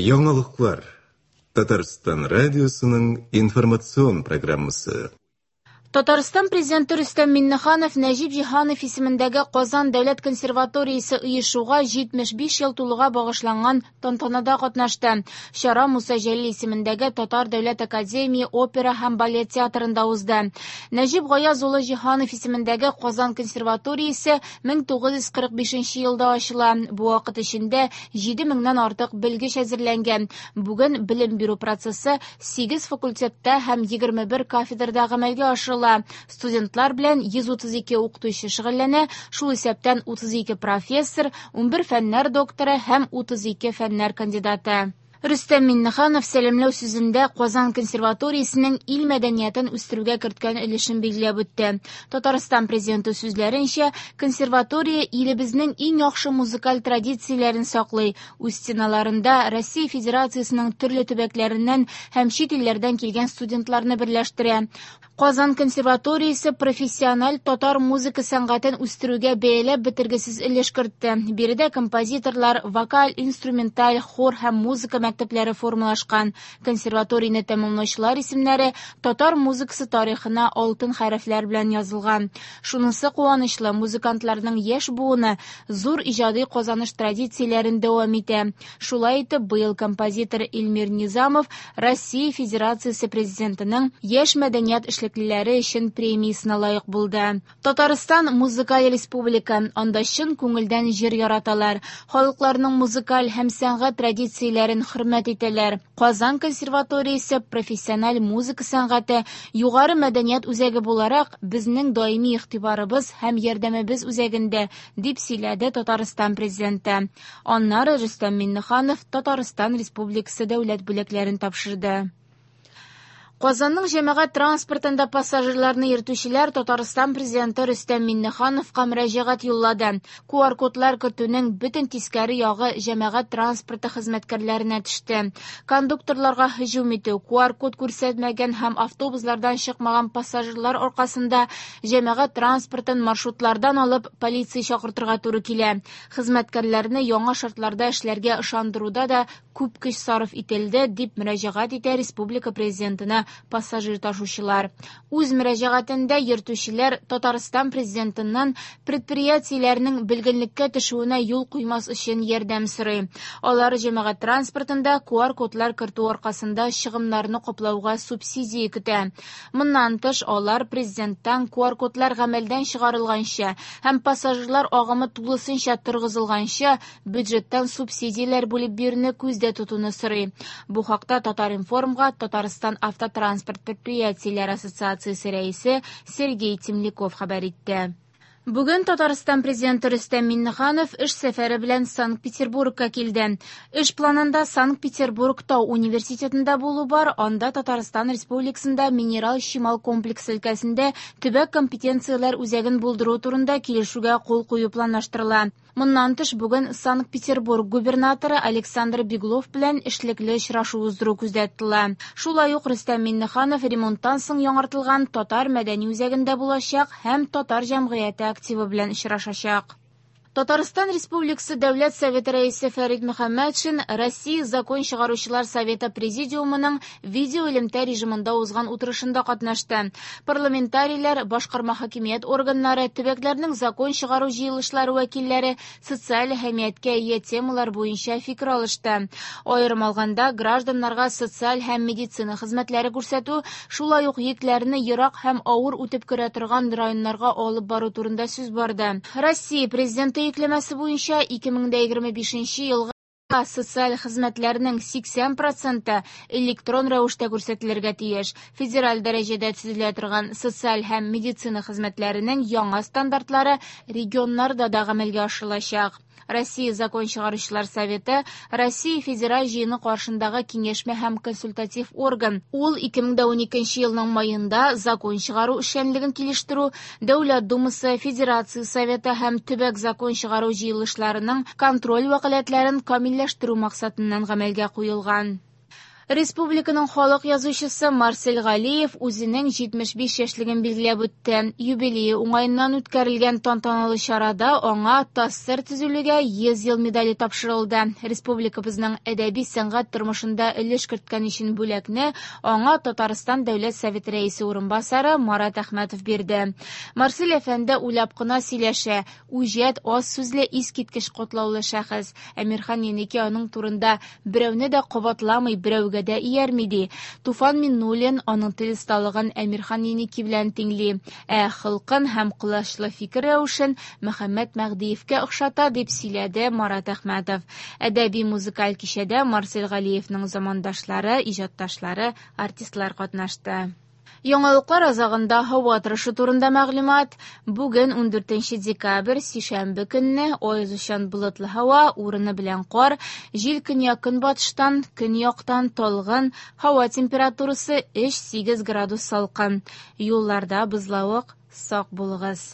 Яңалыклар. Татарстан радиосының информацион программасы. Татарстан Президенты Рөстәм Миңнеханов Нәҗип Җиһанов исемендәге Казан дәүләт консерваториясе оешуга 75 ел тулуга багышланган тантанада катнашты. Чара Муса Җәлил исемендәге Татар дәүләт академия опера һәм балет театрында узды. Нәҗип Гаяз улы Җиһанов исемендәге Казан консерваториясе 1945 елда ачыла. Бу вакыт эчендә 7 меңнән артык белгеч әзерләнгән. Бүген белем бирү процессы 8 факультетта һәм 21 кафедрада гамәлгә ашырыла. Студентлар белән 132 укытучы шөгыльләнә, шул исәптән 32 профессор, 11 фәннәр докторы һәм 32 фәннәр кандидаты. Рөстәм Миңнеханов сәламләү сүзендә Казан консерваториясенең ил мәдәниятен үстерүгә керткән өлешен билгеләп үтте. Татарстан президенты сүзләренчә, консерватория илебезнең иң яхшы музыкаль традицияләрен саклый. Үз стеналарында Россия Федерациясенең төрле төбәкләреннән һәм чит илләрдән килгән студентларны берләштерә. Казан консерваториясе профессиональ татар музыка сәнгатен үстерүгә бәяләп бетергесез өлеш кертте. Биредә композиторлар, вокаль, инструменталь, хор һәм музыка мәктәпләре формалашкан. Консерваторияне тәмамлаучылар исемнәре татар музыкасы тарихына алтын хәрефләр белән язылган. Шунысы куанычлы, музыкантларның яшь буыны зур иҗади казаныш традицияләрен дәвам итә. Шулай итеп, быел композитор Эльмир Низамов Россия Федерациясе президентының яшь мәдәният эшлеклеләре өчен премиясенә лаек булды. Татарстан музыкаль республика, анда чын күңелдән җыр яраталар, халыкларның музыкаль һәм сәнгать традицияләрен хөрмәт итәләр. Казан консерваториясе профессиональ музыка сәнгате югары мәдәният үзәге буларак безнең даими игътибарыбыз һәм ярдәмебез үзәгендә, дип сөйләде Татарстан президенты. Аннары Рөстәм Миңнеханов Татарстан Республикасы дәүләт бүләкләрен тапшырды. Казанның җәмәгать транспортында пассажирларны йөртүчеләр Татарстан президенты Рөстәм Миңнехановка мөрәҗәгать юллады. QR-кодлар кертүнең бөтен тискәре ягы җәмәгать транспорты хезмәткәрләренә төште. Кондукторларга һөҗүм итү, QR-код күрсәтмәгән һәм автобуслардан чыкмаган пассажирлар аркасында җәмәгать транспортын маршрутлардан алып полиция чакыртырга туры килә. Хезмәткәрләрне яңа шартларда эшләргә ышандыруда да күп көч сарыф ителде, дип мөрәҗәгать итә республика президентына пассажир ташучылар. Үз мөрәҗәгатендә йөртүчеләр Татарстан президентыннан предприятиеләрнең бөлгенлеккә төшүенә юл куймас өчен ярдәм сорый. Алар җәмәгать транспортында QR-кодлар кертү аркасында чыгымнарны каплауга субсидия көтә. Моннан тыш, алар президенттан QR-кодлар гамәлдән чыгарылганчы һәм пассажирлар агымы тулысынча торгызылганчы бюджеттан субсидияләр бүлеп бирүне күздә тотуны сорый. Бу хакта Татар-информга Татарстан автотранспорт предприятиеләре ассоциациясе рәисе Сергей Темляков хәбәр итте. Бүген Татарстан президенты Рөстәм Миңнеханов эш сәфәре белән Санкт-Петербургка килде. Эш планында Санкт-Петербург Тау университетында булу бар, анда Татарстан Республикасында минерал чимал комплексы өлкәсендә төбәк компетенцияләр үзәген булдыру турында килешүгә кул кую планлаштырыла. Моннан тыш, бүген Санкт-Петербург губернаторы Александр Беглов белән эшлекле очрашу уздыру күздә тотыла. Шулай ук Рөстәм Миңнеханов ремонттан соң яңартылган Татар мәдәни үзәгендә булачак һәм татар җәмгыяте активы белән очрашачак. Татарстан Республикасы Дәүләт Советы рәисе Фәрит Мөхәммәтшин Россия Закон чыгаручылар Советы Президиумының видеоэлемтә режимында узган утырышында катнашты. Парламентарийлар, башкарма хакимият органнары, төбәкләрнең закон чыгару җыелышлары вәкилләре социаль әһәмияткә ия темалар буенча фикер алышты. Аерым алганда, гражданнарга социаль һәм медицина хезмәтләре күрсәтү, шулай ук йөкләрне ерак һәм авыр үтеп керә торган районнарга алып бару турында сүз барды. Россия Президенты йөкләмәсе буенча 2025 елга социаль хезмәтләрнең 80% электрон рәвештә күрсәтелергә тиеш. Федераль дәрәҗәдә төзелә торган социаль һәм медицина хезмәтләренең яңа стандартлары регионнарда да гамәлгә ашырылачак. Россия Закон чыгаручылар Советы Россия Федераль җыены каршындагы киңәшмә һәм консультатив орган. Ул 2012 елның маенда закон чыгару эшчәнлеген килештерү, Дәүләт Думасы, Федерация Советы һәм төбәк закон чыгару җыелышларының контроль вәкаләтләрен камилләштерү максатыннан гамәлгә куелган. Республиканың халык язучысы Марсель Галиев үзенең 75 яшьлеген билгеләп үтте. Юбилее уңаеннан үткәрелгән тантаналы чарада аңа ТАССР төзелүгә 100 ел медале тапшырылды. Республикабызның әдәби сәнгать тормышында өлеш керткән өчен бүләкне аңа Татарстан Дәүләт Советы Рәисе урынбасары Марат Әхмәтов бирде. Марсель әфәнде уйлап кына сөйләшә, үҗәт, аз сүзле, искиткеч катлаулы шәхес. Әмирхан Еники аның турында берәүне дә кабатламый, берәүгә дә иярми ди. Туфан Миңнуллин аның тел осталыгын Әмирхан Еники белән тиңли, ә холкын һәм колачлы фикер рәвешен Мөхәммәт Мәһдиевкә охшата, дип сөйләде Марат Әхмәтов. Әдәби музыкаль кичәдә Марсель Галиевның замандашлары, иҗатташлары, артистлар катнашты. Яңалыклар азагында һава торышы турында мәгълүмат. Бүген 14 декабрь, сишәмбе көнне аязучан болытлы һава, урыны белән кар, җил көньяк-көнбатыштан, көньяктан талгын, һава температурасы 3-8 градус салкын. Юлларда бозлавык, сак булыгыз.